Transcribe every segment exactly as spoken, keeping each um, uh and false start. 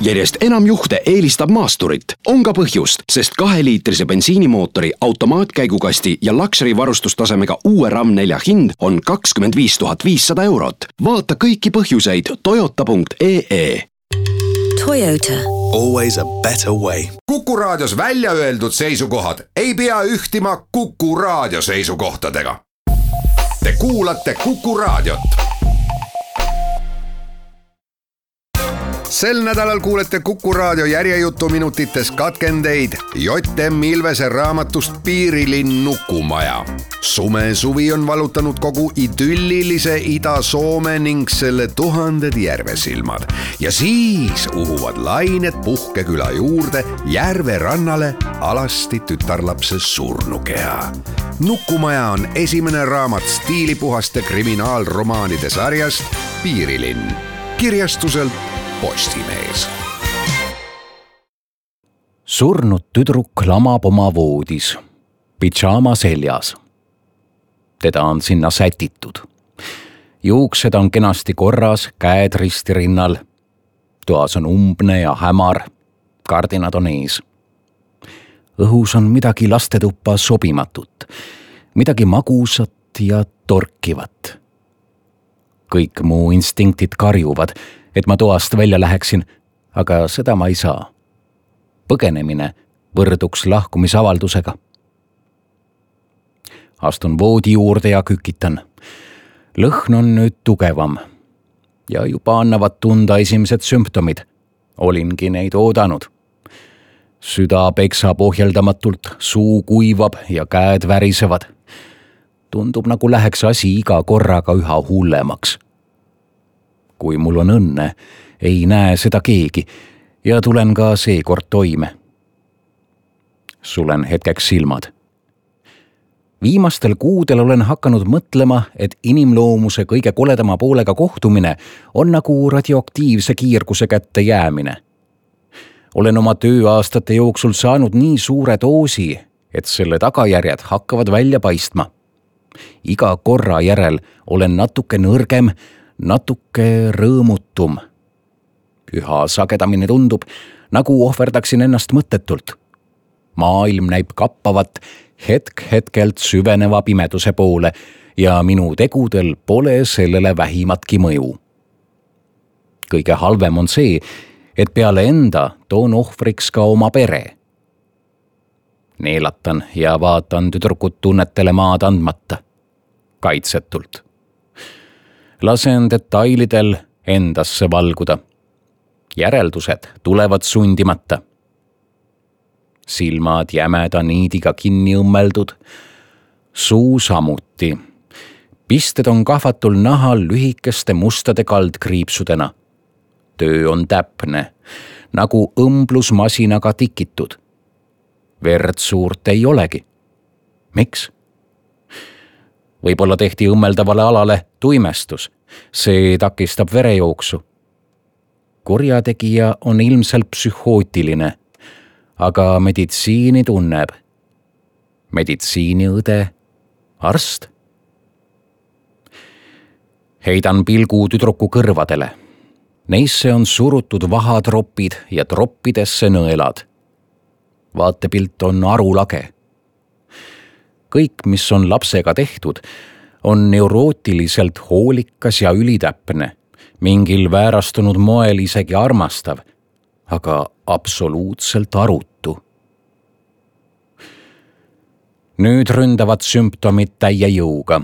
järjest enam juhte eelistab maasturit. On ka põhjust, sest kaheliitrise bensiinimootori, automaatkäigukasti ja luxury varustustasemega uue RAM nelja hind on kakskümmend viis tuhat viissada eurot. Vaata kõiki põhjuseid toyota punkt ee ee. Toyota. Always a better way. Kuku Raadios välja öeldud seisukohad ei pea ühtima Kuku Raadio seisukohtadega. Te kuulate Kuku Raadiot. Sel nädalal kuulete Kuku Raadio järjejutu minutites katkendeid J M Ilvese raamatust Piirilinn Nukumaja. Sume suvi on valutanud kogu idüllilise Ida-Soome ning selle tuhanded järvesilmad. Ja siis uhuvad lained Puhkeküla juurde järve rannale alasti tütarlapse surnukeha. Nukumaja on esimene raamat stiilipuhaste kriminaalromaanide sarjast Piirilinn. Kirjastuselt Postimees. Surnud tüdruk lamab oma voodis, pidžaama seljas. Teda on sinna sätitud. Juuksed on kenasti korras, käed risti rinnal. Toas on umbne ja hämar, kardinad on ees. Õhus on midagi lastetuppa sobimatut, midagi magusat ja torkivat. Kõik muu instinktid karjuvad, et ma toast välja läheksin, aga seda ma ei saa. Põgenemine võrduks lahkumisavaldusega. Astun voodi juurde ja kükitan. Lõhn on nüüd tugevam ja juba annavad tunda esimesed sümptomid. Olingi neid oodanud. Süda peksab ohjeldamatult, suu kuivab ja käed värisevad. Tundub nagu läheks asi iga korraga üha hullemaks. Kui mul on õnne, ei näe seda keegi ja tulen ka seekord toime. Sulen hetkeks silmad. Viimastel kuudel olen hakanud mõtlema, et inimloomuse kõige koledama poolega kohtumine on nagu radioaktiivse kiirguse kätte jäämine. Olen oma tööaastate jooksul saanud nii suure doosi, et selle tagajärjed hakkavad välja paistma. Iga korra järel olen natuke nõrgem, natuke rõõmutum. Üha sagedamini tundub, nagu ohverdaksin ennast mõttetult. Maailm näib kappavat hetk hetkelt süveneva pimeduse poole ja minu tegudel pole sellele vähimatki mõju. Kõige halvem on see, et peale enda toon ohvriks ka oma pere. Neelatan ja vaatan tüdrukut tunnetele maad andmata, kaitsetult. Lasen detailidel endasse valguda. Järeldused tulevad sundimata. Silmad jämeda niidiga kinni õmmeldud, suu samuti. Pisted on kahvatul nahal lühikeste mustade kaldkriipsudena. Töö on täpne, nagu õmblusmasinaga tikitud. Verd suurt ei olegi. Miks? Võib-olla tehti õmmeldavale alale tuimestus. See takistab verejooksu. Kurjategija on ilmselt psühhootiline, aga meditsiini tunneb. Meditsiiniõde, arst. Heidan pilgu tüdruku kõrvadele. Neisse on surutud vahatropid ja troppidesse nõelad. Vaatepilt on arulage. Kõik, mis on lapsega tehtud, on neurootiliselt hoolikas ja ülitäpne, mingil väärastunud moel isegi armastav, aga absoluutselt arutu. Nüüd ründavad sümptomid täie jõuga,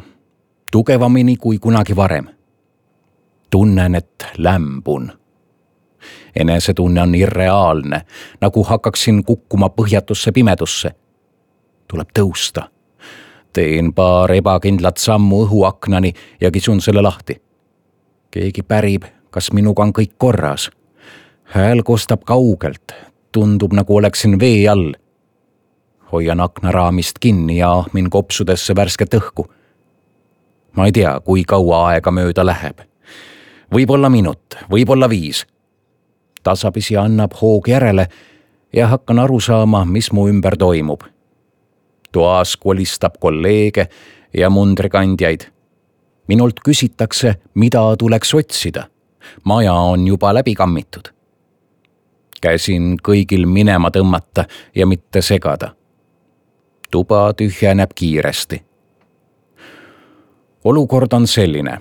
tugevamini kui kunagi varem. Tunnen, et lämbun. Enesetunne on irreaalne, nagu hakkaksin kukkuma põhjatusse pimedusse. Tuleb tõusta. Teen paar ebakindlat sammu õhuaknani ja kisun selle lahti. Keegi pärib, kas minuga on kõik korras. Hääl kostab kaugelt, tundub nagu oleksin vee all. Hoian aknaraamist kinni ja ahmin kopsudesse värsket õhku. Ma ei tea, kui kaua aega mööda läheb. Võib-olla minut, võib-olla viis. Tasapisi annab hoog järele ja hakkan aru saama, mis mu ümber toimub. Toas kolistab kolleege ja mundrikandjaid. Minult küsitakse, mida tuleks otsida. Maja on juba läbi kammitud. Käsin kõigil minema tõmmata ja mitte segada. Tuba tühjeneb kiiresti. Olukord on selline.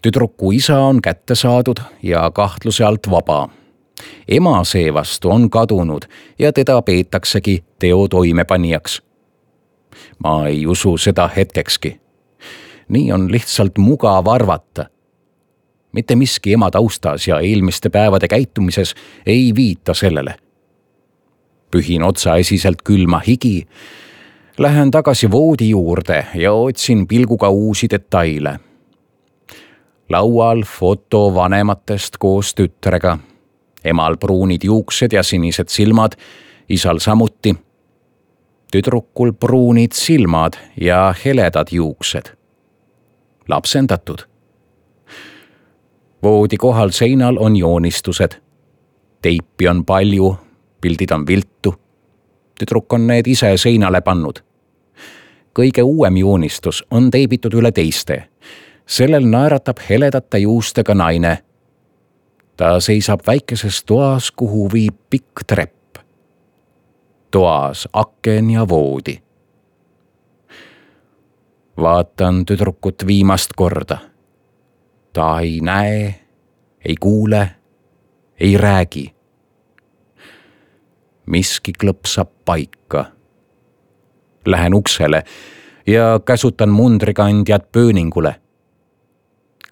Tüdruku isa on kätte saadud ja kahtluse alt vaba. Ema seevastu on kadunud ja teda peetaksegi teo toimepanijaks. Ma ei usu seda hetkekski. Nii on lihtsalt mugav arvata. Mitte miski ema taustas ja eelmiste päevade käitumises ei viita sellele. Pühin otsaesiselt külma higi, lähen tagasi voodi juurde ja otsin pilguga uusi detaile. Laual foto vanematest koos tütrega. Emal pruunid juuksed ja sinised silmad, isal samuti. Tüdrukul pruunid silmad ja heledad juuksed. Lapsendatud. Voodi kohal seinal on joonistused. Teipi on palju, pildid on viltu. Tüdruk on need ise seinale pannud. Kõige uuem joonistus on teibitud üle teiste. Sellel naeratab heledate juustega naine. Ta seisab väikeses toas, kuhu viib pikk trepp. Toas aken ja voodi. Vaatan tüdrukut viimast korda. Ta ei näe, ei kuule, ei räägi. Miski klõpsab paika. Lähen uksele ja käsutan mundrikandjad pööningule.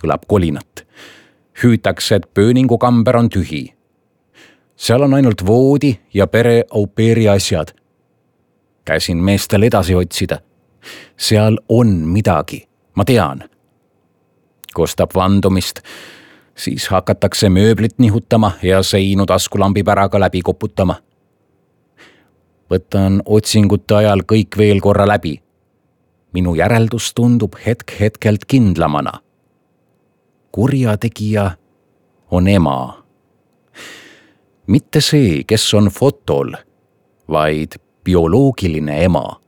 Kõlab kolinat. Hüütakse, et pööningukamber on tühi. Seal on ainult voodi ja pere au pairi asjad. Käsin meestel edasi otsida. Seal on midagi, ma tean. Kostab vandumist, siis hakatakse mööblit nihutama ja seinu taskulambi päraga läbi koputama. Võtan otsingute ajal kõik veel korra läbi. Minu järeldus tundub hetk hetkelt kindlamana. Kurjategija on ema. Mitte see, kes on fotol, vaid bioloogiline ema.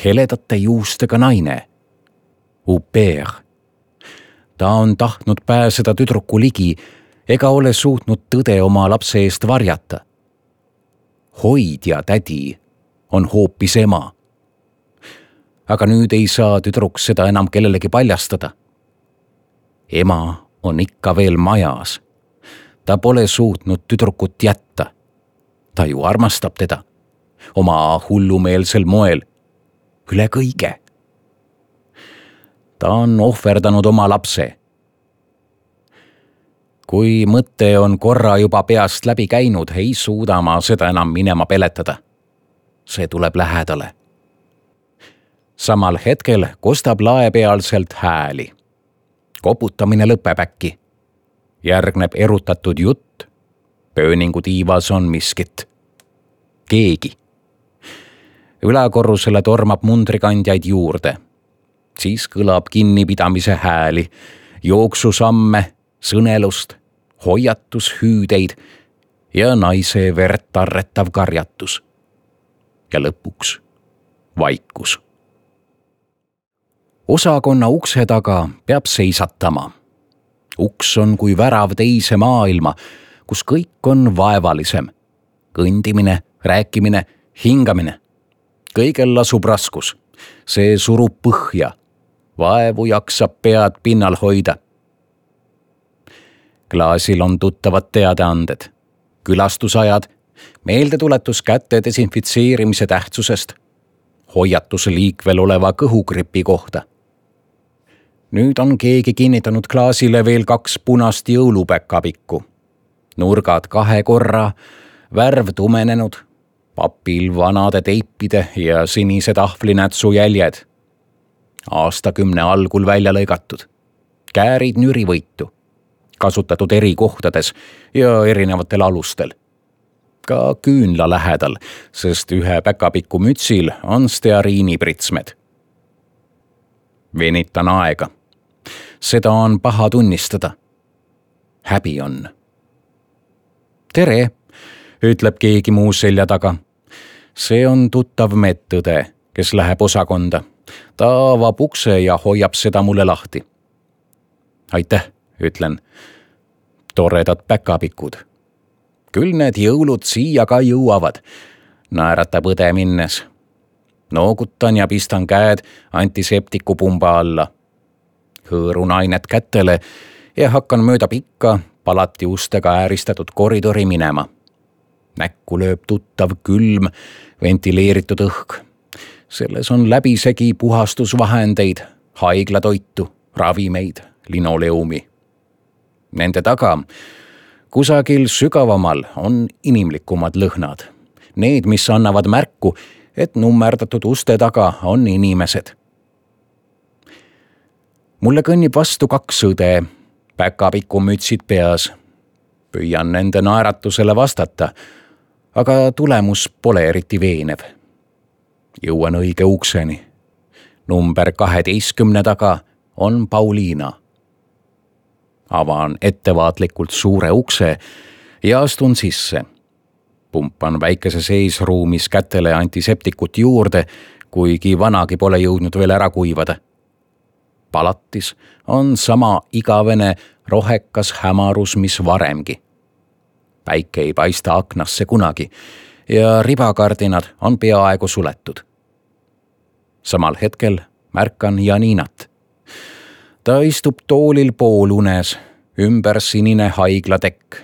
Heledate juustega naine. Au pair. Ta on tahtnud pääseda tüdruku ligi ega ole suutnud tõde oma lapse eest varjata. Hoidja tädi on hoopis ema. Aga nüüd ei saa tüdruk seda enam kellelegi paljastada. Ema on ikka veel majas. Ta pole suutnud tüdrukut jätta. Ta ju armastab teda. Oma hullumeelsel moel. Üle kõige. Ta on ohverdanud oma lapse. Kui mõte on korra juba peast läbi käinud, ei suuda ma seda enam minema peletada. See tuleb lähedale. Samal hetkel kostab laepealselt hääli. Koputamine lõpeb äkki. Järgneb erutatud jutt. Pööningu tiivas on miskit. Keegi. Ülakorrusele tormab mundrikandjaid juurde. Siis kõlab kinnipidamise hääli, jooksusamme, sõnelust, hoiatushüüdeid ja naise verd tarretav karjatus. Ja lõpuks vaikus. Osakonna ukse taga peab seisatama. Uks on kui värav teise maailma, kus kõik on vaevalisem. Kõndimine, rääkimine, hingamine. Kõigel lasub raskus. See surub põhja. Vaevu jaksab pead pinnal hoida. Klaasil on tuttavad teadaanded. Külastusajad, meeldetuletus käte desinfitseerimise tähtsusest, hoiatus liikvel oleva kõhugripi kohta. Nüüd on keegi kinnitanud klaasile veel kaks punast jõulupäkapikku. Nurgad kahe korra, värv tumenenud, papil vanade teipide ja sinise tahvlinätsu jäljed. Aastakümne algul välja lõigatud. Käärid nürivõitu. Kasutatud eri kohtades ja erinevatel alustel. Ka küünla lähedal, sest ühe päkapiku mütsil on steariinipritsmed. Venitan aega. Seda on paha tunnistada. Häbi on. Tere, ütleb keegi muu selja taga. See on tuttav medõde, kes läheb osakonda. Ta avab ukse ja hoiab seda mulle lahti. Aitäh, ütlen. Toredad päkapikud. Küll need jõulud siia ka jõuavad, naeratab õde minnes. Noogutan ja pistan käed antiseptiku pumba alla. Hõõrun ainet kätele ja hakkan mööda pikka, palati ustega ääristatud koridori minema. Näkku lööb tuttav külm, ventileeritud õhk. Selles on läbisegi puhastusvahendeid, haiglatoitu, ravimeid, linoleumi. Nende taga, kusagil sügavamal, on inimlikumad lõhnad. Need, mis annavad märku, et nummerdatud uste taga on inimesed. Mulle kõnnib vastu kaks õde, päkapiku mütsid peas. Püüan nende naeratusele vastata, aga tulemus pole eriti veenev. Jõuan õige ukseni. Number kaheteistkümne taga on Pauliina. Avan ettevaatlikult suure ukse ja astun sisse. Pumpan väikeses eesruumis kätele antiseptikut juurde, kuigi vanagi pole jõudnud veel ära kuivada. Palatis on sama igavene rohekas hämarus, mis varemgi. Päike ei paista aknasse kunagi ja ribakardinad on peaaegu suletud. Samal hetkel märkan Janinat. Ta istub toolil poolunes, ümber sinine haiglatekk.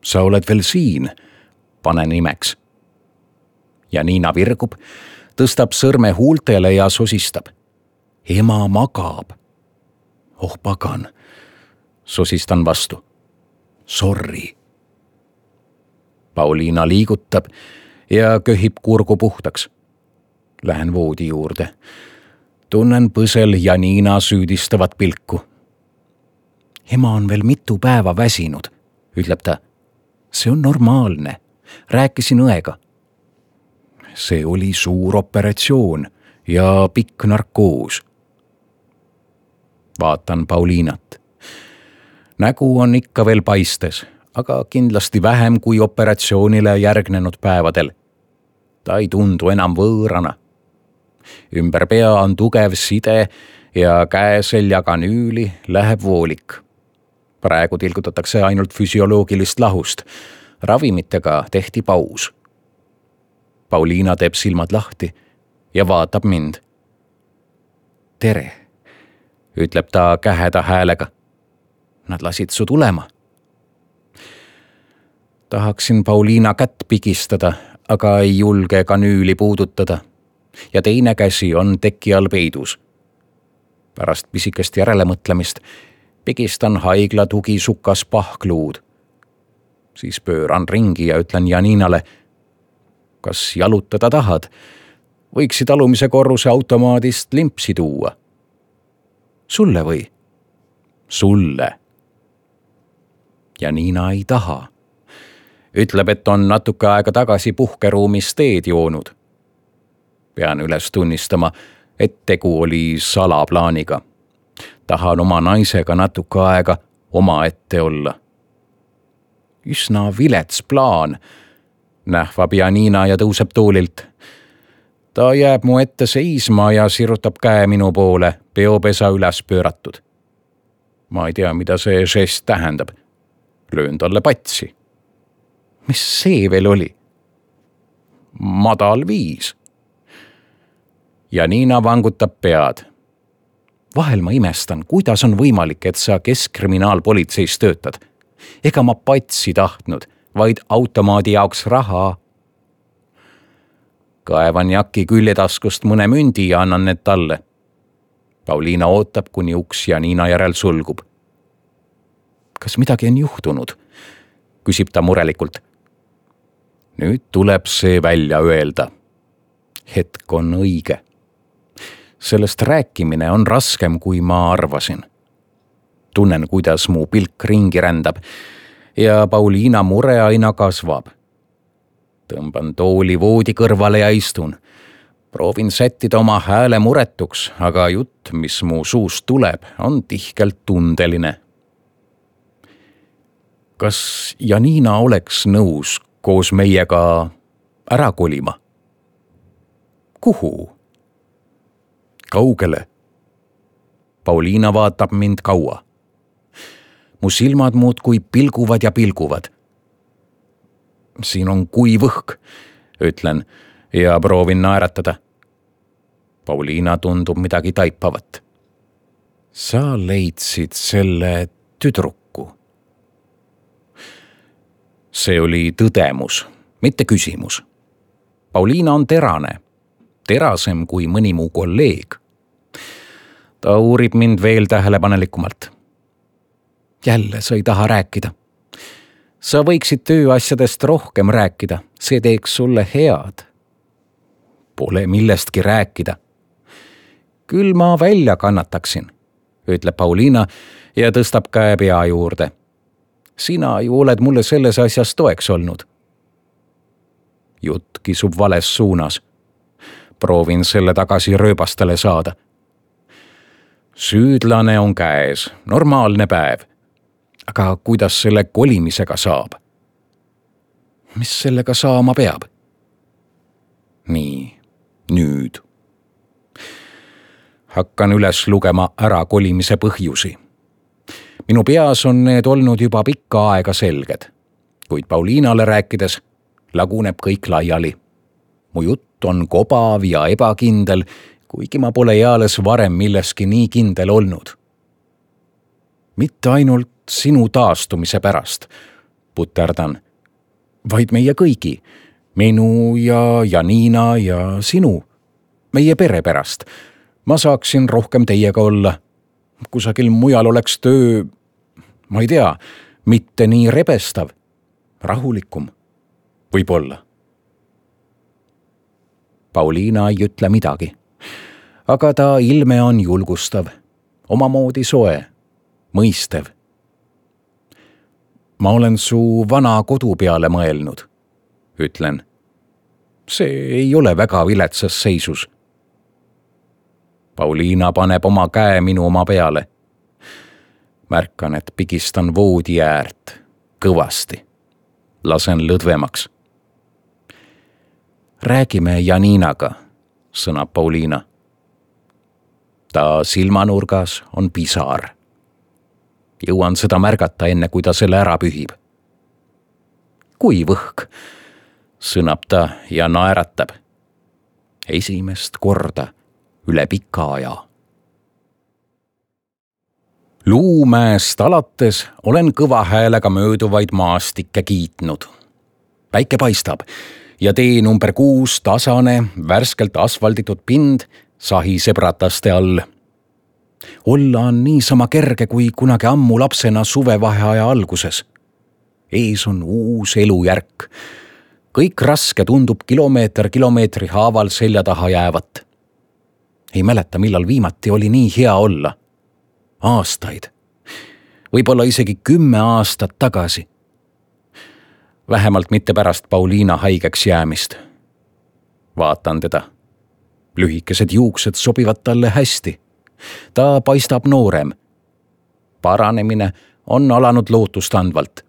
Sa oled veel siin, panen imeks. Janina virgub, tõstab sõrme huultele ja sosistab. Ema magab. Oh pagan, sosistan vastu. Sorry. Pauliina liigutab ja köhib kurgu puhtaks. Lähen voodi juurde. Tunnen põsel Janina süüdistavat pilku. Ema on veel mitu päeva väsinud, ütleb ta. See on normaalne. Rääkisin õega. See oli suur operatsioon ja pikk narkoos. Vaatan Pauliinat. Nägu on ikka veel paistes, aga kindlasti vähem kui operatsioonile järgnenud päevadel. Ta ei tundu enam võõrana. Ümber pea on tugev side ja käeselja kanüüli läheb voolik. Praegu tilgutatakse ainult füsioloogilist lahust. Ravimitega tehti paus. Pauliina teeb silmad lahti ja vaatab mind. Tere, ütleb ta käheda häälega. Nad lasid su tulema. Tahaksin Pauliina kätt pigistada, aga ei julge kanüüli puudutada. Ja teine käsi on teki all peidus. Pärast pisikest järelemõtlemist pigistan haigla tugisukas pahkluud. Siis pööran ringi ja ütlen Janinale, kas jalutada tahad? Võiksid alumise korruse automaadist limpsi tuua. Sulle või? Sulle. Janina ei taha. Ütleb, et on natuke aega tagasi puhkeruumis teed joonud. Pean üles tunnistama, et tegu oli salaplaaniga. Tahan oma naisega natuke aega oma ette olla. Üsna vilets plaan, nähvab Janina ja tõuseb toolilt. Ta jääb mu ette seisma ja sirutab käe minu poole, peopesa üles pööratud. Ma ei tea, mida see žest tähendab. Löön talle patsi. Mis see veel oli? Madal viis. Janina vangutab pead. Vahel ma imestan, kuidas on võimalik, et sa keskkriminaalpolitseis töötad. Ega ma patsi tahtnud, vaid automaadi jaoks raha. Kaevan jaki küljetaskust mõne mündi ja annan need talle. Pauliina ootab, kuni uks Janina järel sulgub. Kas midagi on juhtunud? Küsib ta murelikult. Nüüd tuleb see välja öelda. Hetk on õige. Sellest rääkimine on raskem, kui ma arvasin. Tunnen, kuidas mu pilk ringi rändab ja Pauliina mure aina kasvab. Tõmban tooli voodi kõrvale ja istun. Proovin sättida oma hääle muretuks, aga jutt, mis mu suust tuleb, on tihkelt tundeline. Kas Janina oleks nõus koos meiega ära kolima? Kuhu? Kaugele? Pauliina vaatab mind kaua. Mu silmad muudkui pilguvad ja pilguvad. siin on kuiv õhk, ütlen ja proovin naeratada. Pauliina tundub midagi taipavat. Sa leidsid selle tüdruku. See oli tõdemus, mitte küsimus. Pauliina on terane, terasem kui mõni muu kolleeg. Ta uurib mind veel tähelepanelikumalt. Jälle sa ei taha rääkida. Sa võiksid tööasjadest rohkem rääkida, see teeks sulle head. Pole millestki rääkida. Küll ma välja kannataksin, ütleb Pauliina ja tõstab käe pea juurde. Sina ju oled mulle selles asjas toeks olnud. Jutt kisub vales suunas. Proovin selle tagasi rööbastele saada. Süüdlane on käes, normaalne päev. Aga kuidas selle kolimisega saab? Mis sellega saama peab? Nii, nüüd. Hakkan üles lugema ära kolimise põhjusi. Minu peas on need olnud juba pikka aega selged, kuid Pauliinale rääkides laguneb kõik laiali. Mu jutt on kobav ja ebakindel, kuigi ma pole eales varem milleski nii kindel olnud. Mitte ainult sinu taastumise pärast, puterdan, vaid meie kõigi, minu ja Janina ja sinu, meie pere pärast. Ma saaksin rohkem teiega olla. Kusagil mujal oleks töö, ma ei tea, mitte nii rebestav, rahulikum, võib-olla. Pauliina ei ütle midagi, aga ta ilme on julgustav, omamoodi soe, mõistev. Ma olen su vana kodu peale mõelnud, ütlen. See ei ole väga viletsas seisus. Pauliina paneb oma käe minu oma peale. Märkan, et pigistan voodi äärt kõvasti. Lasen lõdvemaks. Räägime Janinaga, sõnab Pauliina. Ta silmanurgas on pisar. Jõuan seda märgata enne, kui ta selle ära pühib. Kui võhk, sõnab ta ja naeratab. Esimest korda üle pika aja. Luumäest alates olen kõva häälega mööduvaid maastikke kiitnud. Päike paistab ja tee number kuus tasane, värskelt asfalditud pind sahiseb rataste all. Olla on niisama kerge kui kunagi ammu lapsena suvevaheaja alguses. Ees on uus elujärk. Kõik raske tundub kilomeeter kilomeetri haaval selja taha jäävat. Ei mäleta, millal viimati oli nii hea olla. Aastaid. Võib-olla isegi kümme aastat tagasi. Vähemalt mitte pärast Pauliina haigeks jäämist. Vaatan teda. Lühikesed juuksed sobivad talle hästi. Ta paistab noorem. Paranemine on alanud lootustandvalt.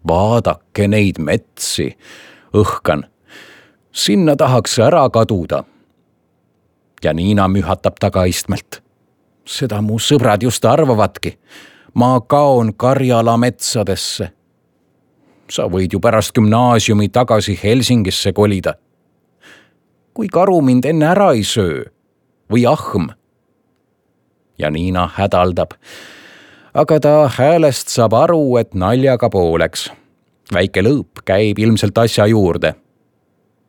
Vaadake neid metsi, õhkan. Sinna tahaks ära kaduda. Janina mühatab tagaistmelt. Seda mu sõbrad just arvavadki. Ma kaon Karjala metsadesse. Sa võid ju pärast gümnaasiumi tagasi Helsingisse kolida. Kui karu mind enne ära ei söö või ahm. Janina hädaldab, aga ta häälest saab aru, et naljaga pooleks. Väike lõõp käib ilmselt asja juurde.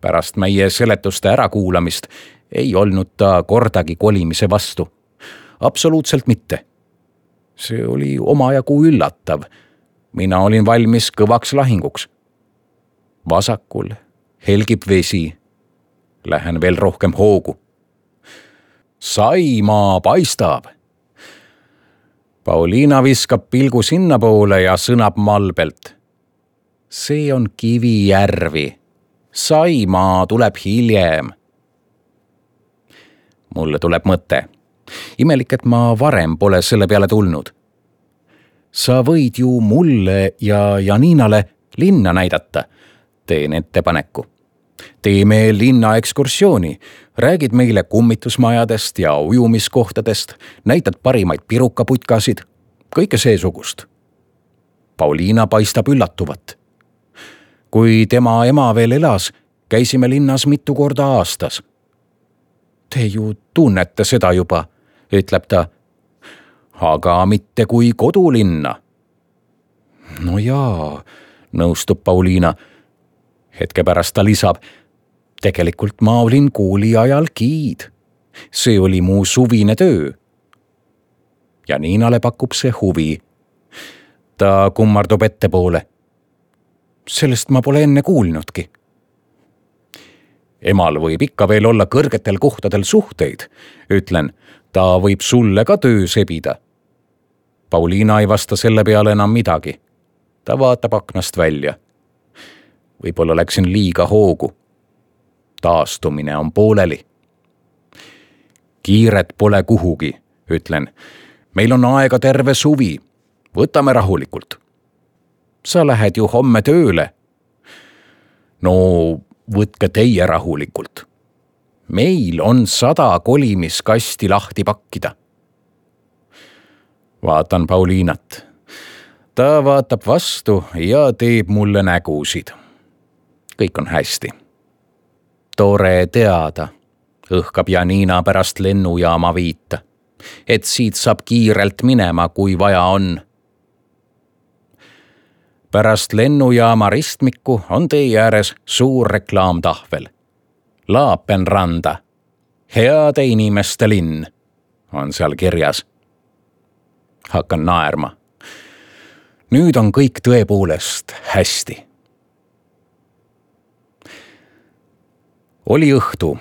Pärast meie seletuste ärakuulamist ei olnud ta kordagi kolimise vastu. Absoluutselt mitte. See oli omajagu üllatav. Mina olin valmis kõvaks lahinguks. Vasakul helgib vesi. Lähen veel rohkem hoogu. Saimaa paistab. Pauliina viskab pilgu sinna poole ja sõnab malbelt. See on Kivijärvi. Saimaa tuleb hiljem. Mulle tuleb mõte. Imelik, et ma varem pole selle peale tulnud. Sa võid ju mulle ja Janinale linna näidata. Teen ettepaneku. Teeme linna ekskursiooni. Räägid meile kummitusmajadest ja ujumiskohtadest. Näitad parimaid pirukaputkasid. Kõike seesugust. Pauliina paistab üllatuvat. kui tema ema veel elas, käisime linnas mitu korda aastas. Te ju tunnete seda juba, ütleb ta. Aga mitte kui kodulinna. No jaa, nõustub Pauliina. Hetke pärast ta lisab, tegelikult ma olin kooli ajal giid. See oli mu suvine töö. Ja Niinale pakub see huvi. Ta kummardub ettepoole. Sellest ma pole enne kuulnudki. Emal võib ikka veel olla kõrgetel kohtadel suhteid, ütlen, ta võib sulle ka töö sebida. Pauliina ei vasta selle peale enam midagi. Ta vaatab aknast välja. Võib-olla läksin liiga hoogu. Taastumine on pooleli. Kiiret pole kuhugi, ütlen. Meil on aega terve suvi. Võtame rahulikult. Sa lähed ju homme tööle. No võtke teie rahulikult. Meil on sada kolimiskasti lahti pakkida. Vaatan Pauliinat. Ta vaatab vastu ja teeb mulle nägusid. Kõik on hästi. Tore teada, õhkab Janina pärast lennujaama viita, et siit saab kiirelt minema, kui vaja on. Pärast lennujaama ristmikku on tee ääres suur reklaamtahvel. Laapenranda, heade inimeste linn, on seal kirjas. Hakkan naerma. Nüüd on kõik tõepoolest hästi. Oli õhtu.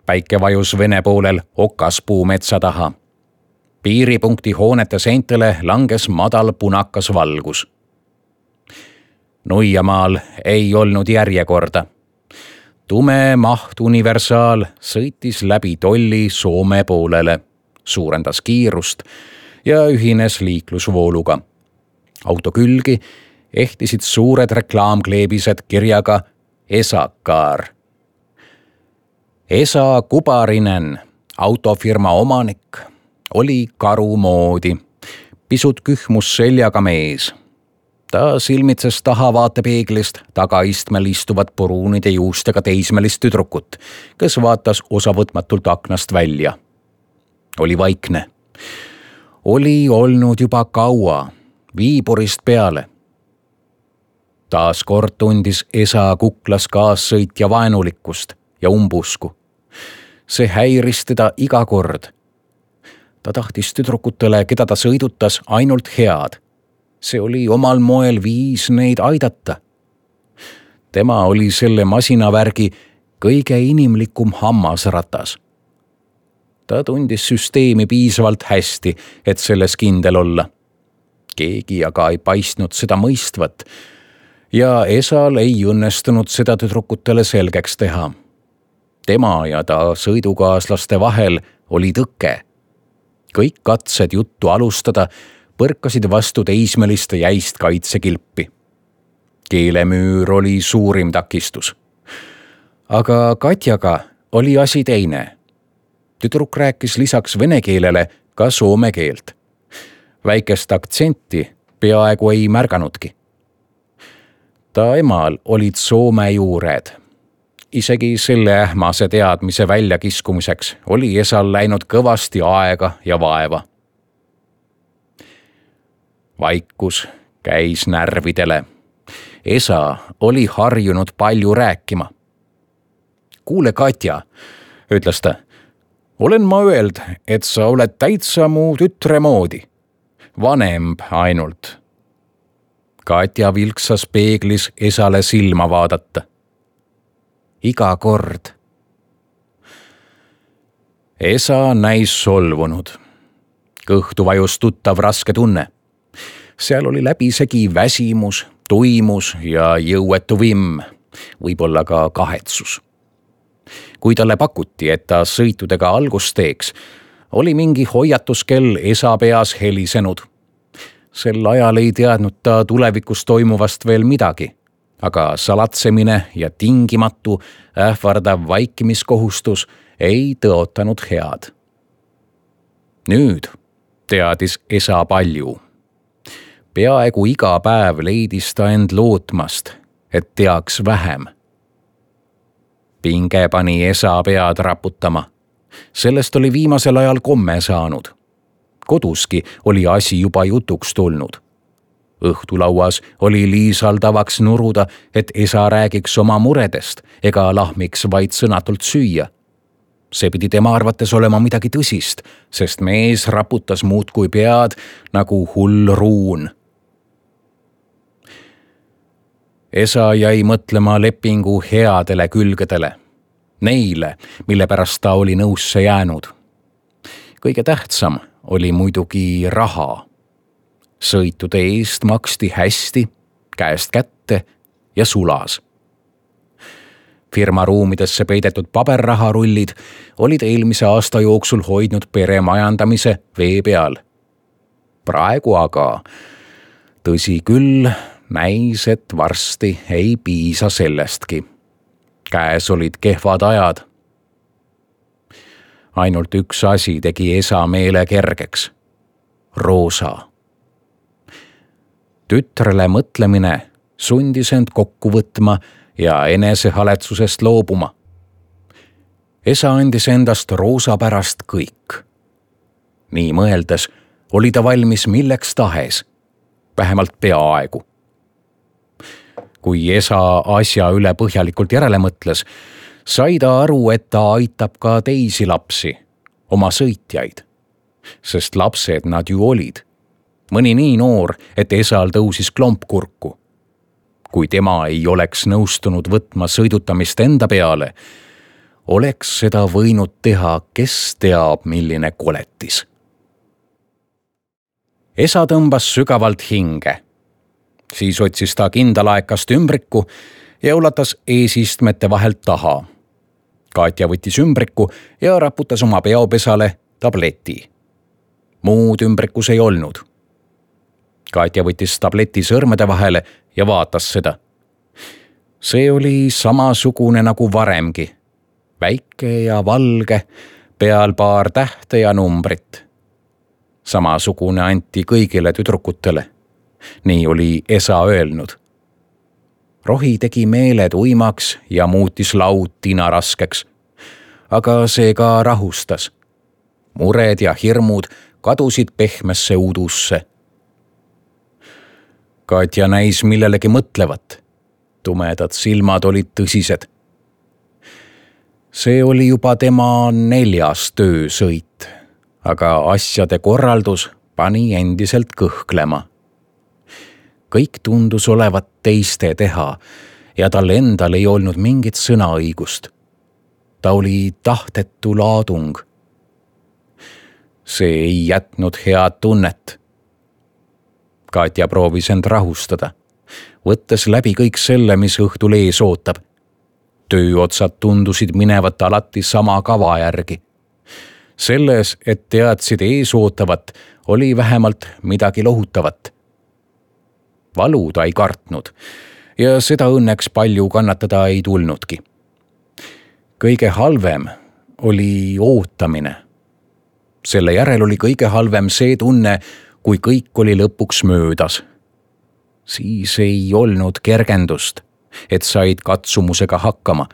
Päike vajus Vene poolel Okaspuu metsa taha. Piiripunkti hoonete seintele langes madal punakas valgus. Nuiamaal ei olnud järjekorda. Tume maht universaal sõitis läbi tolli Soome poolele, suurendas kiirust ja ühines liiklusvooluga. Auto külgi ehtisid suured reklaamkleebised kirjaga Esakaar. Esa Kubarinen, autofirma omanik, oli karu moodi, pisut kühmus seljaga mees. Ta silmitses taha vaatepeeglist tagaistmel istuvat puruunide juustega teismelist tüdrukut, kes vaatas osavõtmatult aknast välja. Oli vaikne. Oli olnud juba kaua, viiburist peale. Taas kord tundis Esa kuklas kaassõitja vaenulikkust ja umbusku. See häiris teda iga kord. Ta tahtis tüdrukutele, keda ta sõidutas, ainult head. See oli omal moel viis neid aidata. Tema oli selle masinavärgi kõige inimlikum hammasratas. Ta tundis süsteemi piisavalt hästi, et selles kindel olla. Keegi aga ei paistnud seda mõistvat ja Esal ei õnnestunud seda tüdrukutele selgeks teha. Tema ja ta sõidukaaslaste vahel oli tõke. Kõik katsed juttu alustada põrkasid vastu teismeliste jäist kaitsekilpi. Keelemüür oli suurim takistus. Aga Katjaga oli asi teine. Tüdruk rääkis lisaks vene keelele ka soome keelt. Väikest aktsenti peaaegu ei märganudki. Ta emal olid soome juured. Isegi selle ähmase teadmise väljakiskumiseks oli Esal läinud kõvasti aega ja vaeva. Vaikus käis närvidele. Esa oli harjunud palju rääkima. Kuule, Katja, ütles ta, olen ma öeld, et sa oled täitsa mu tütre moodi. Vanemb ainult. Katja vilksas peeglis Esale silma vaadata. Iga kord. Esa näis solvunud. Kõhtu vajus tuttav raske tunne. Seal oli läbisegi väsimus, tuimus ja jõuetu vimm, võib-olla ka kahetsus. Kui talle pakuti, et ta sõitudega algust teeks, oli mingi hoiatuskell Esa peas helisenud. Sel ajal ei teadnud ta tulevikus toimuvast veel midagi, aga salatsemine ja tingimatu ähvardav vaikimiskohustus ei tõotanud head. Nüüd teadis Esa palju. Peaaegu iga päev leidis ta end lootmast, et teaks vähem. Pinge pani esa pead raputama. Sellest oli viimasel ajal komme saanud. Koduski oli asi juba jutuks tulnud. Õhtulauas oli Liisal tavaks nuruda, et esa räägiks oma muredest ega lahmiks vaid sõnatult süüa. See pidi tema arvates olema midagi tõsist, sest mees raputas muudkui pead nagu hull ruun. Esa jäi mõtlema lepingu headele külgedele, neile, mille pärast ta oli nõusse jäänud. Kõige tähtsam oli muidugi raha. Sõitude eest maksti hästi, käest kätte ja sulas. Firma ruumidesse peidetud paberraharullid olid eelmise aasta jooksul hoidnud pere majandamise vee peal. Praegu aga, tõsi küll, näis, et varsti ei piisa sellestki. Käes olid kehvad ajad. Ainult üks asi tegi esa meele kergeks. Roosa. Tütrele mõtlemine sundis end kokku võtma ja enesehaletsusest loobuma. Esa andis endast Roosa pärast kõik. Nii mõeldes oli ta valmis milleks tahes, vähemalt peaaegu. Kui esa asja üle põhjalikult järele mõtles, sai ta aru, et ta aitab ka teisi lapsi, oma sõitjaid. Sest lapsed nad ju olid. Mõni nii noor, et esal tõusis klomp kurku. Kui tema ei oleks nõustunud võtma sõidutamist enda peale, oleks seda võinud teha, kes teab, milline koletis. Esa tõmbas sügavalt hinge. Siis otsis ta kindalaekast ümbriku ja ulatas eesistmete vahelt taha. Katja võttis ümbriku ja raputas oma peopesale tableti. Muud ümbrikus ei olnud. Katja võttis tableti sõrmede vahele ja vaatas seda. See oli samasugune nagu varemgi. Väike ja valge, peal paar tähte ja numbrit. Samasugune anti kõigile tüdrukutele. Nii oli esa öelnud. Rohi tegi meeled uimaks ja muutis laud tinaraskeks. Aga see ka rahustas. Mured ja hirmud kadusid pehmesse udusse. Katja näis millelegi mõtlevat. Tumedad silmad olid tõsised. See oli juba tema neljas töösõit, aga asjade korraldus pani endiselt kõhklema. Kõik tundus olevat teiste teha ja tal endal ei olnud mingit sõnaõigust. Ta oli tahtetu laadung. See ei jätnud head tunnet. Katja proovis end rahustada, võttes läbi kõik selle, mis õhtul ees ootab. Tööotsad tundusid minevat alati sama kava järgi. Selles, et teadsid ees ootavat, oli vähemalt midagi lohutavat. Valu ta ei kartnud ja seda õnneks palju kannatada ei tulnudki. Kõige halvem oli ootamine. Selle järel oli kõige halvem see tunne, kui kõik oli lõpuks möödas. Siis ei olnud kergendust, et said katsumusega hakkama,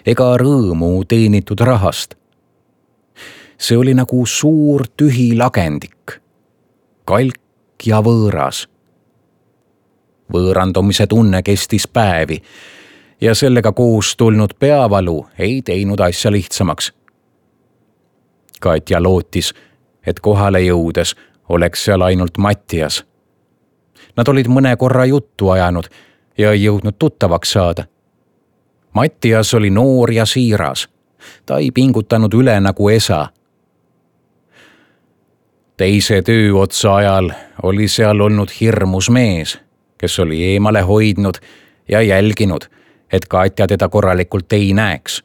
ega rõõmu teenitud rahast. See oli nagu suur tühi lagendik, kalk ja võõras. Võõrandumise tunne kestis päevi ja sellega koos tulnud peavalu ei teinud asja lihtsamaks. Katja lootis, et kohale jõudes oleks seal ainult Mattias. Nad olid mõne korra juttu ajanud ja ei jõudnud tuttavaks saada. Mattias oli noor ja siiras. Ta ei pingutanud üle nagu esa. Teise tööotsa ajal oli seal olnud hirmus mees, kes oli eemale hoidnud ja jälginud, et Katja teda korralikult ei näeks.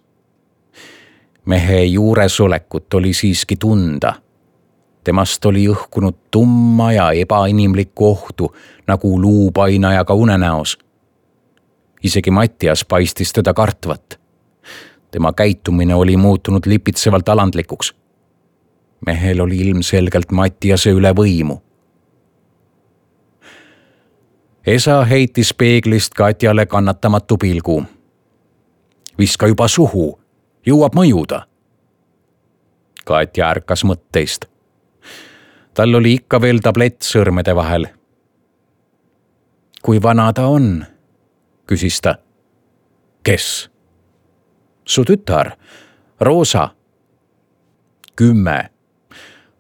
Mehe juuresolekut oli siiski tunda. Temast oli õhkunud tumma ja ebainimlikku ohtu, nagu luupainajaga unenäos. Isegi Mattias paistis teda kartvat. Tema käitumine oli muutunud lipitsevalt alandlikuks. Mehel oli ilmselgelt Mattiase üle võimu. Esa heitis peeglist Katjale kannatamatu pilgu. Viska juba suhu, jõuab mõjuda. Katja ärkas mõtteist. Tal oli ikka veel tablett sõrmede vahel. Kui vana ta on? Küsis ta. Kes? Su tütar, Roosa. Kümme.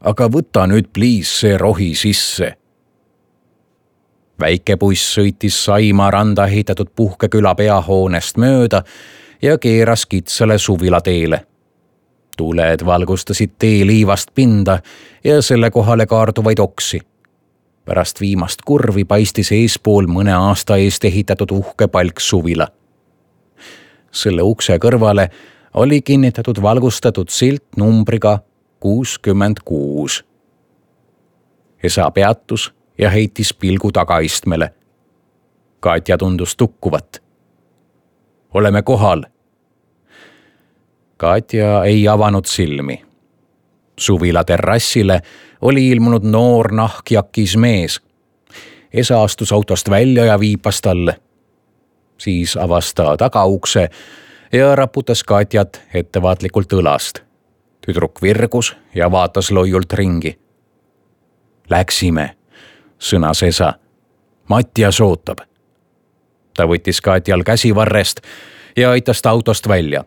Aga võta nüüd pliis see rohi sisse. Väike buss sõitis Saima randa ehitatud Puhkeküla peahoonest mööda ja keeras kitsale suvila teele. Tuled valgustasid tee liivast pinda ja selle kohale kaarduvaid oksi. Pärast viimast kurvi paistis eespool mõne aasta eest ehitatud uhke palk suvila. Selle ukse kõrvale oli kinnitatud valgustatud silt numbriga kuuskümmend kuus. Esa peatus ja heitis pilgu tagaistmele. Katja tundus tukkuvat. Oleme kohal. Katja ei avanud silmi. Suvila terrassile oli ilmunud noor nahkjakis mees. Esa astus autost välja ja viipas talle. Siis avas ta tagaukse ja raputas Katjat ettevaatlikult õlast. Tüdruk virgus ja vaatas loiult ringi. Läksime, sõnas Esa. Mattias ootab. Ta võttis Katjal käsivarrest ja aitas ta autost välja.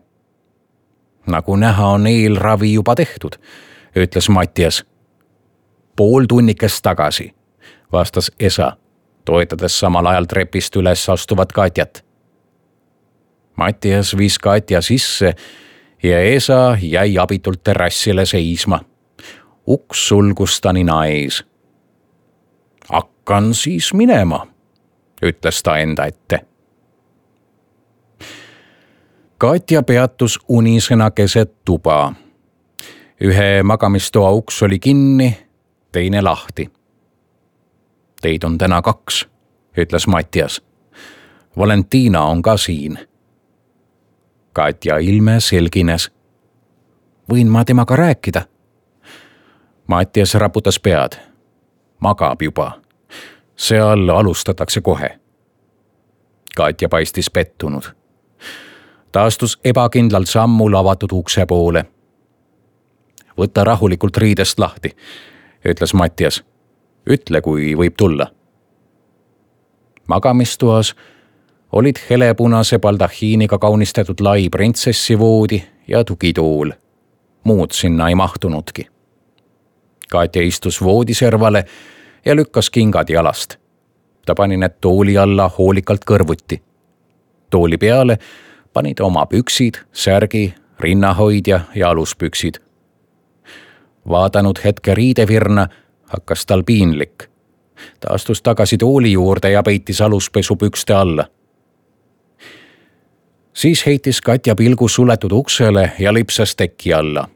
Nagu näha on eelravi juba tehtud, ütles Mattias. Pool tunnikest tagasi, vastas Esa, toetades samal ajal trepist üles astuvat Katjat. Mattias viis Katja sisse ja Esa jäi abitult terrassile seisma. Uks sulgus ta nina ees. Hakkan siis minema, ütles ta enda ette. Katja peatus unisena keset tuba. Ühe magamistoa uks oli kinni, teine lahti. Teid on täna kaks, ütles Mattias. Valentina on ka siin. Katja ilme selgines. Võin ma temaga rääkida? Mattias raputas pead. Magab juba. Seal alustatakse kohe. Katja paistis pettunud. Ta astus ebakindlalt sammul avatud ukse poole. Võta rahulikult riidest lahti, ütles Mattias. Ütle, kui võib tulla. Magamistoas olid helepunase baldahiiniga kaunistatud lai printsessivoodi ja tugitool. Muud sinna ei mahtunudki. Katja istus voodiservale ja lükkas kingad jalast. Ta pani need tooli alla hoolikalt kõrvuti. Tooli peale panid oma püksid, särgi, rinnahoidja ja aluspüksid. Vaadanud hetke riidevirna, hakkas tal piinlik. Ta astus tagasi tooli juurde ja peitis aluspesu pükste alla. Siis heitis Katja pilgu suletud uksele ja lipsas teki alla.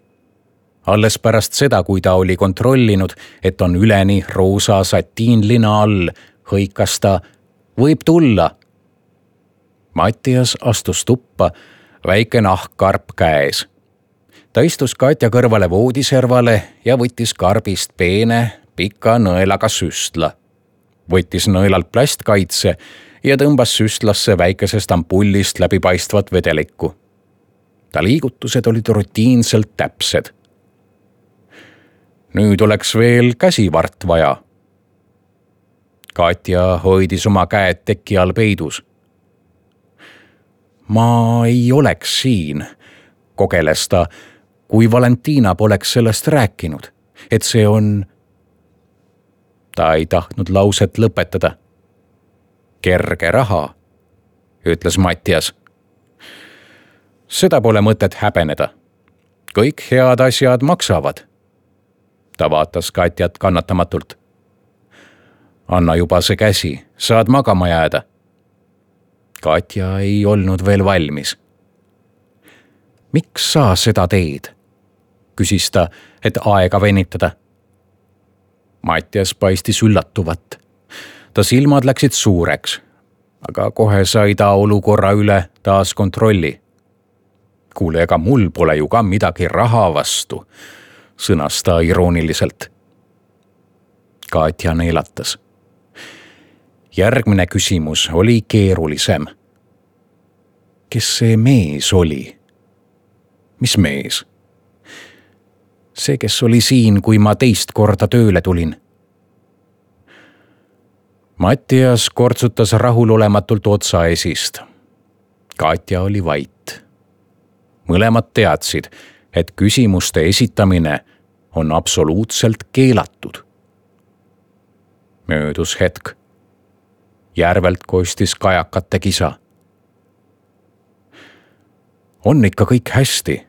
Alles pärast seda, kui ta oli kontrollinud, et on üleni roosa satiinlina all, hõikas ta, võib tulla. Mattias astus tuppa, väike nahkkarp käes. Ta istus Katja kõrvale voodiservale ja võttis karbist peene, pika nõelaga süstla. Võttis nõelalt plastkaitse ja tõmbas süstlasse väikesest ampullist läbipaistvat vedelikku. Ta liigutused olid rutiinselt täpsed. Nüüd oleks veel käsivart vaja. Katja hoidis oma käed teki all peidus. Ma ei oleks siin, kogeles ta, kui Valentina poleks sellest rääkinud, et see on... Ta ei tahtnud lauset lõpetada. Kerge raha, ütles Mattias. Seda pole mõtet häbeneda. Kõik head asjad maksavad. Ta vaatas Katjat kannatamatult. Anna juba see käsi, saad magama jääda. Katja ei olnud veel valmis. Miks sa seda teed? Küsis ta, et aega venitada. Mattias paistis üllatuvat. Ta silmad läksid suureks, aga kohe sai ta olukorra üle taas kontrolli. Kuule, ega mul pole ju ka midagi raha vastu, sõnas ta irooniliselt. Katja neelatas. Järgmine küsimus oli keerulisem. Kes see mees oli? Mis mees? See, kes oli siin, kui ma teist korda tööle tulin. Mattias kortsutas rahulolematult otsa esist. Katja oli vait. Mõlemad teadsid, et küsimuste esitamine on absoluutselt keelatud. Möödus hetk. Järvelt kostis kajakate kisa. On ikka kõik hästi,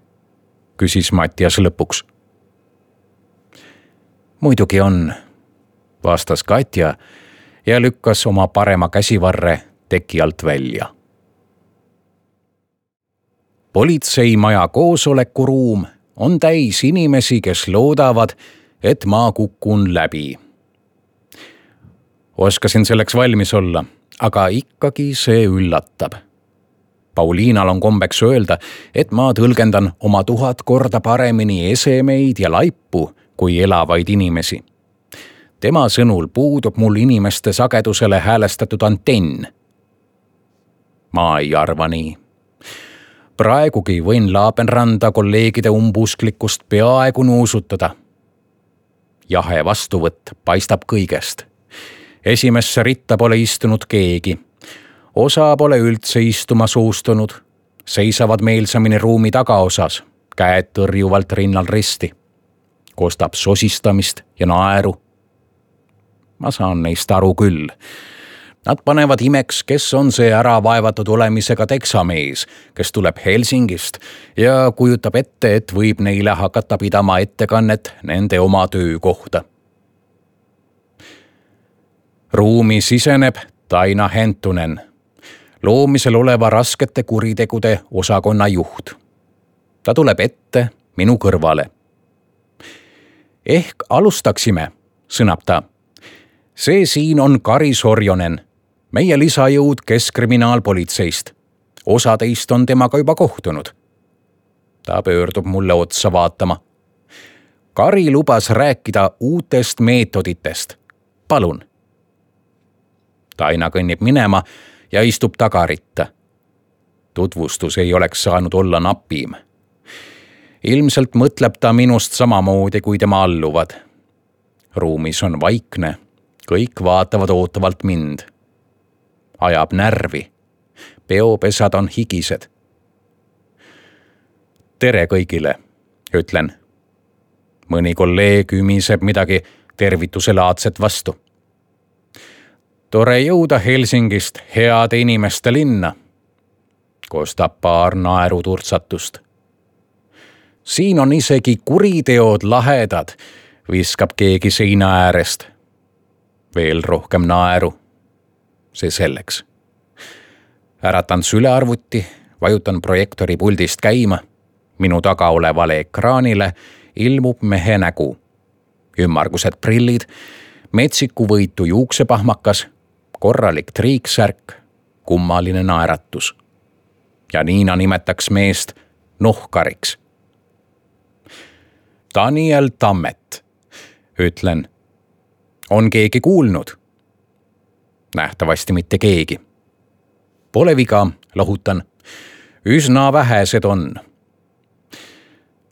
küsis Mattias lõpuks. Muidugi on, vastas Katja ja lükkas oma parema käsivarre teki alt välja. Politseimaja koosolekuruum on täis inimesi, kes loodavad, et ma kukun läbi. Oskasin selleks valmis olla, aga ikkagi see üllatab. Pauliinal on kombeks öelda, et ma tõlgendan oma tuhat korda paremini esemeid ja laipu kui elavaid inimesi. Tema sõnul puudub mul inimeste sagedusele häälestatud antenn. Ma ei arva nii. Praegugi võin Laabenranda kolleegide umbusklikkust peaaegu nuusutada. Jahe vastuvõtt paistab kõigest. Esimesse ritta pole istunud keegi. Osa pole üldse istuma suustunud. Seisavad meelsamini ruumi tagaosas, käed tõrjuvalt rinnal risti. Kostab sosistamist ja naeru. Ma saan neist aru küll. Nad panevad imeks, kes on see ära vaevatud olemisega teksamees, kes tuleb Helsingist ja kujutab ette, et võib neile hakata pidama ettekannet nende oma töö kohta. Ruumi siseneb Taina Hentunen, loomisel oleva raskete kuritegude osakonna juht. Ta tuleb ette minu kõrvale. Ehk alustaksime, sõnab ta. See siin on Kari Sorjonen, meie lisajõud Keskkriminaalpolitseist. Osa teist on temaga juba kohtunud. Ta pöördub mulle otsa vaatama. Kari lubas rääkida uutest meetoditest. Palun. Taina kõnnib minema ja istub tagaritta. Tutvustus ei oleks saanud olla napim. Ilmselt mõtleb ta minust samamoodi kui tema alluvad. Ruumis on vaikne. Kõik vaatavad ootavalt mind. Ajab närvi. Peopesad on higised. Tere kõigile, ütlen. Mõni kolleeg ümiseb midagi tervituselaadset vastu. Tore jõuda Helsingist heade inimeste linna. Kostab paar naeruturtsatust. Siin on isegi kuriteod lahedad, viskab keegi seina äärest. Veel rohkem naeru. See selleks. Äratan sülearvuti, vajutan projektori puldist käima. Minu taga olevale ekraanile ilmub mehe nägu. Ümmargused prillid, metsiku võitu juuksepahmakas, korralik triiksärk, kummaline naeratus. Ja Niina nimetaks meest nohkariks. Daniel Tammet, ütlen. On keegi kuulnud? Nähtavasti mitte keegi. Pole viga, lohutan. Üsna vähesed on.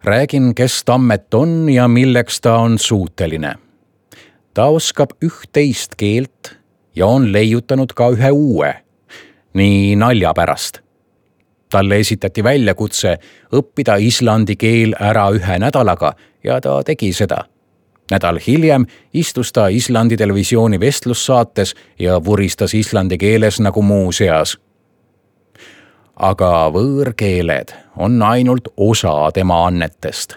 Räägin, kes Tammet on ja milleks ta on suuteline. Ta oskab üht-teist keelt ja on leiutanud ka ühe uue, nii nalja pärast. Talle esitati väljakutse õppida islandi keel ära ühe nädalaga ja ta tegi seda. Nädal hiljem istus ta Islandi televisiooni vestlussaates ja vuristas islandi keeles nagu muuseas. Aga võõrkeeled on ainult osa tema annetest.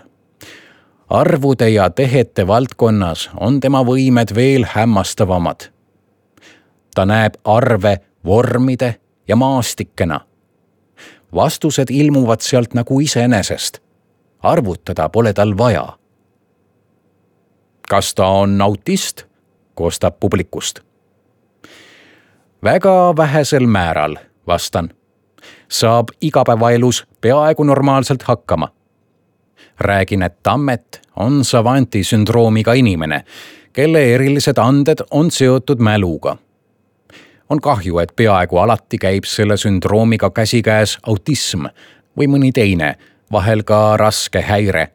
Arvude ja tehete valdkonnas on tema võimed veel hämmastavamad. Ta näeb arve vormide ja maastikena. Vastused ilmuvad sealt nagu iseenesest. Arvutada pole tal vaja. Kas ta on autist? Kostab publikust. Väga vähesel määral, vastan. Saab igapäevaelus peaaegu normaalselt hakkama. Räägin, et Tammet on savanti sündroomiga inimene, kelle erilised anded on seotud mäluga. On kahju, et peaaegu alati käib selle sündroomiga käsikäes autism või mõni teine, vahel ka raske häire.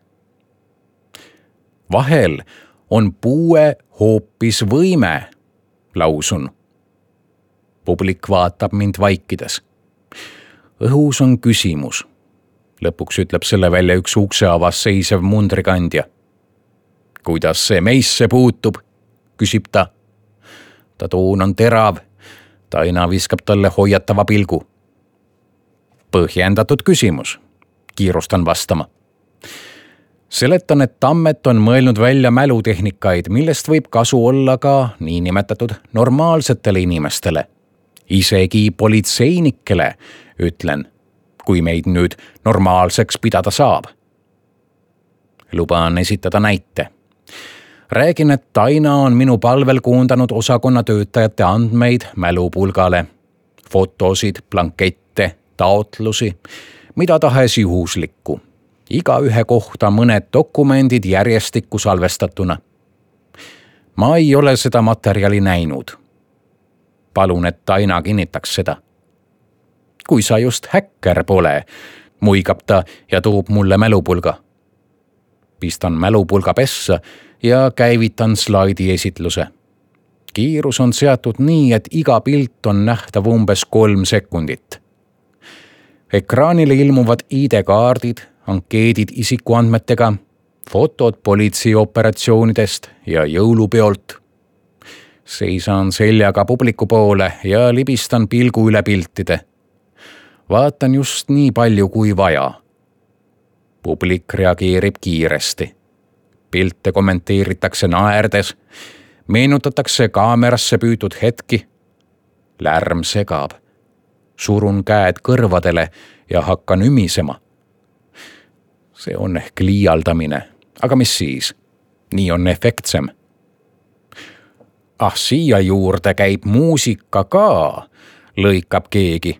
Vahel on puue hoopis võime, lausun. Publik vaatab mind vaikides. Õhus on küsimus. Lõpuks ütleb selle välja üks ukse avas seisev mundrikandja. Kuidas see meisse puutub, küsib ta. Ta toon on terav. Taina viskab talle hoiatava pilgu. Põhjendatud küsimus. Kiirustan vastama. Seletan, et Tammet on mõelnud välja mälutehnikaid, millest võib kasu olla ka niinimetatud normaalsetele inimestele. Isegi politseinikele, ütlen, kui meid nüüd normaalseks pidada saab. Lubaan esitada näite. Räägin, et Taina on minu palvel koondanud osakonna töötajate andmeid mälupulgale. Fotosid, blankette, taotlusi, mida tahes juhuslikku. Iga ühe kohta mõned dokumendid järjestikku salvestatuna. Ma ei ole seda materjali näinud. Palun, et Taina kinnitaks seda. Kui sa just häkker pole, muigab ta ja toob mulle mälupulga. Pistan mälupulga pessa ja käivitan slaidi esitluse. Kiirus on seatud nii, et iga pilt on nähtav umbes kolm sekundit. Ekraanile ilmuvad I D-kaardid, ankeedid isikuandmetega, fotod politseioperatsioonidest ja jõulupeolt. Seisan seljaga publiku poole ja libistan pilgu üle piltide. Vaatan just nii palju kui vaja. Publik reageerib kiiresti. Pilte kommenteeritakse naerdes, meenutatakse kaamerasse püütud hetki. Lärm segab. Surun käed kõrvadele ja hakkan ümisema. See on ehk liialdamine, aga mis siis? Nii on efektsem. Ah, siia juurde käib muusika ka, lõikab keegi.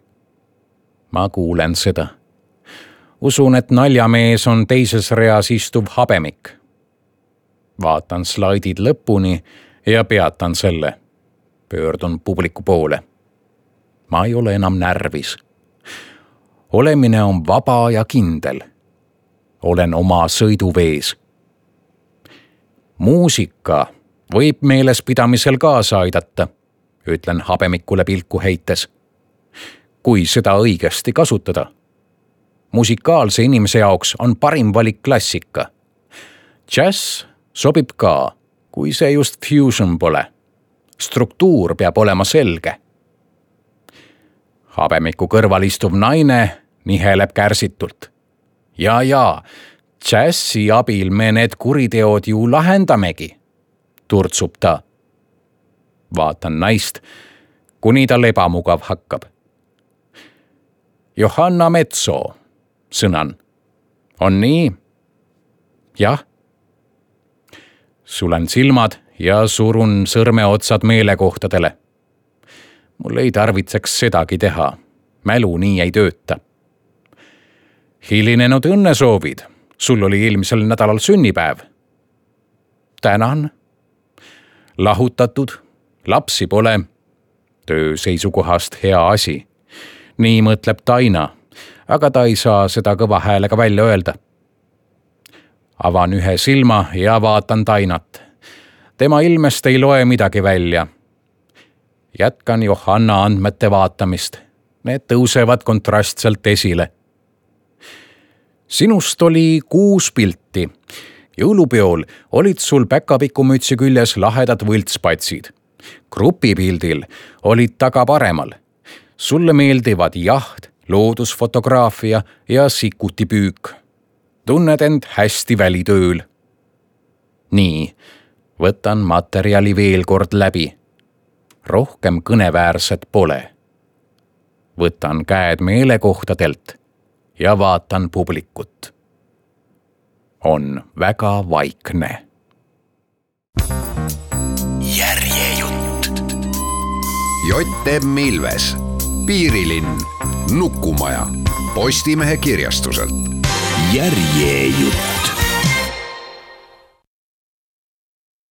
Ma kuulen seda. Usun, et naljamees on teises reas istuv habemik. Vaatan slaidid lõpuni ja peatan selle. Pöördun publiku poole. Ma ei ole enam närvis. Olemine on vaba ja kindel. Olen oma sõiduvees. Muusika võib meelespidamisel kaasa aidata, ütlen habemikule pilku heites. Kui seda õigesti kasutada. Musikaalse inimese jaoks on parim valik klassika. Jazz sobib ka, kui see just fusion pole. Struktuur peab olema selge. Habemiku kõrval istuv naine niheleb kärsitult. Ja, ja, džässi abil me need kuriteod ju lahendamegi, turtsub ta. Vaatan naist, kuni tal ebamugav hakkab. Johanna Metso, sõnan. On nii? Jah. Sulen silmad ja surun sõrmeotsad meelekohtadele. Mul ei tarvitseks sedagi teha. Mälu nii ei tööta. Hilinenud õnnesoovid. Sul oli eelmisel nädalal sünnipäev. Tänan. Lahutatud. Lapsi pole. Töö seisukohast hea asi. Nii mõtleb Taina, aga ta ei saa seda kõva häälega välja öelda. Avan ühe silma ja vaatan Tainat. Tema ilmest ei loe midagi välja. Jätkan Johanna andmete vaatamist. Need tõusevad kontrastselt esile. Sinust oli kuus pilti. Jõulupeol olid sul päkapikumütsi küljes lahedad võltspatsid. Grupipildil olid taga paremal. Sulle meeldivad jaht, loodusfotograafia ja sikutipüük. Tunned end hästi välitööl. Nii, võtan materjali veel kord läbi. Rohkem kõneväärset pole. Võtan käed meelekohtadelt ja vaatan publikut. On väga vaikne. Järjejutt. Jott M. Ilves, Piirilinn, Nukumaja, Postimehe kirjastuselt. Järjejutt.